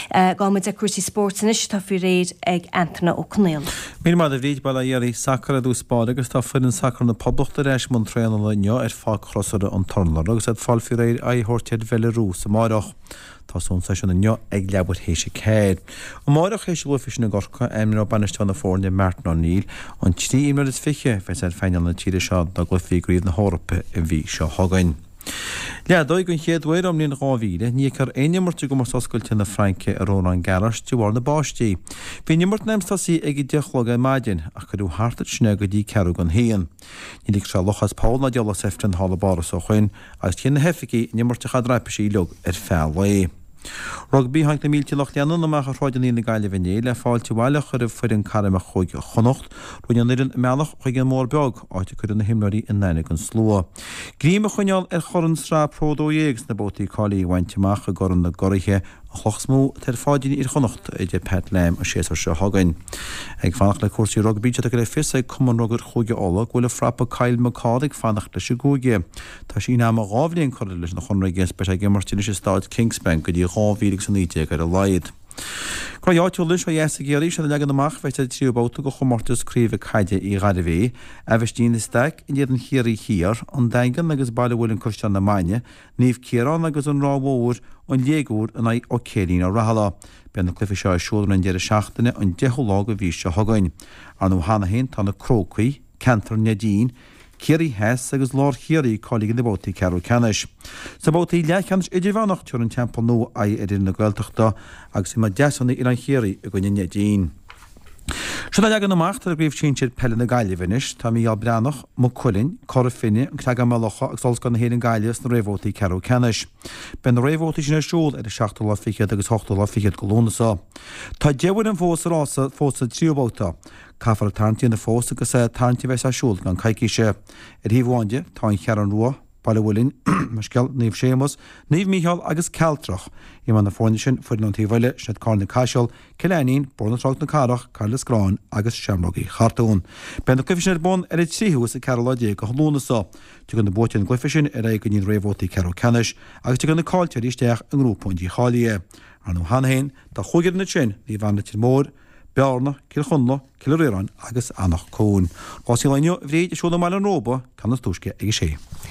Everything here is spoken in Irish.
Gabhfaidh muid ag cúrsaí spóirt anois atá faoi réir ag Antaine Ó Conaola. Míle maith agat a Bhríd, bail ó Dhia oraibh. Sacar i dtús báire agus tá foireann sacair na Poblachta ar ais i mbun traenála inniu ar Pháirc Chrosaire an Turlair agus iad ag fáil faoi réir aghaidh a thabhairt ar Bhelarús amáireach. Tosóidh an seisiún inniu ag leathuair théis 4. Amáireach théis an gcluiche sin i gCorcaigh, ainmneoidh bainisteoir na foirne Martin O'Neill an 23 imreoir a bheas ar phainéal na tíre seo do gcluichí i gCraobh na hEorpa an mhí seo chugainn. Leadóig, Den chéad uair ón mbliain 2000, ní fheicfear aon imirt i gcomórtas oscailte na Fraince i Roland Garros de bharr na báistí. Bhí an imirt in ainm is tosaí ag 10 a chlog ar maidin, ach cuireadh thart ansin é go dtí ceathrú don haon. Ní ligfeadh sé luch as poll ná diabhal as ifreann thall i bPáras ó shoin, agus tchíonn na hoifigigh an imirt ag caitheamh raipisí uilig ar feadh lae. Rugbaí, Tháinig na mílte lucht leanúna amach ar shráideanna na Gaillimhe inné le fáilte abhaile a chur roimh foireann carmach Chúige Chonnacht. Rinne an fhoireann a mbealach chuig an mBóthar Beag, áit a cuireadh na himreoirí in aithne don slua. Greim a choinneáil ar chorn Sraith Pro 12 sna babhtaí cáilithe a bhaint amach i gCorn na gCuraithe, an chloch is mó atá ar pháidín fhir Chonnacht, a deir Pat Lam an séasúr seo chugainn. Ag fanacht le cúrsaí rugbaí, tá tugtha le fios ag Cumann Rugair Chúige Uladh go bhfuil an frapa Kyle McCall ag fanacht leis an gcúige. Tá síneadh ama 2 bhliain curtha leis an chonradh aige is beidh sé ag imirt anois i Staid Kingspan go dtí 2019 ar a laghad. Gnóthaí áitiúla anois ó dheas i gCiarraí, seo an leagan amach a bheas ar an tríú babhta de chomórtas craoibhe caide Uí Ghairbhé, Aibhistín de Staic in éadan Chiarraí Thiar, An Daingean agus Baile Mhuilinn Caisleán na Mainge, Naomh Ciarán agus An Ráth Mhór, An Léig Úr in aghaidh Ó Céirín Ó Rathaille. Beidh na cluichí seo ar siúl ar an deireadh seachtaine an 10ú lá de mhí seo chugainn. Ar ndóigh cheana féin tá na Crócaigh, Ceantar Neidín, Ciarraí Theas agus Lár Chiarraí cáilithe do na babhtaí ceathrú ceannais. Sna babhtaí leathcheannais idirmheánach tabharfaidh an Teampall Nua aghaidh ar fhoireann na Gaeltachta agus imreoidh Deasúnaí Oileán Chiarraí i gcoinne Neidín. Seo an leagan amach atá ar gCraobh Shinsir Peile na Gaillimhe anois. Tá Mícheál Breathnach, Maigh Cuilinn, Cora Finne, An Creagán Maigh Locha agus Ollscoil na hÉireann Gaillimh sna réamhbhabhtaí ceathrú ceannais. Beidh na réamhbhabhtaí sin ar siúl ar an seachtú lá fichead agus ochtú lá fichead de Lúnasa. Tá 10 bhfoireann fós sa rása fós sa tríú babhta. Caithfear tarraingt a dhéanamh fós agus tarraingt a bheas ar siúl i gceann coicíse. Ar thaobh amháin de, tá An Cheathrú Rua, Baile Mhuilinn, mo scéal, Naomh Séamus, Naomh Mícheál agus Cealtrach. Imreoidh na foirne sin foireann ón taobh eile, sin iad Carna Caiseal, Cill Ainnín, Bóthar na Trá na Cathrach, Cairde Scráin agus Seamrógaí Chartún. Beidh na cluichí sin ar bun ar an tríú is an ceathrú lá déag de Lúnasa. Tiocfaidh na buaiteoirí na gcluichí sin ar aghaidh go dtí na réamhbhabhtaí ceathrú ceannais agus tiocfaidh na caillteoirí isteach i ngrúpa an dícháilithe. Ar ndóigh cheana féin, tá chúig fhoireann ansin, Naomh Anna Leitir Móir, Bearna, Cill Chonla, Cill Ríoráin agus Anach Cuain. Rásaí an lae inniu, a Bhríd, ar siúl i mBaile an Róba, ceann is túisce ag a sé.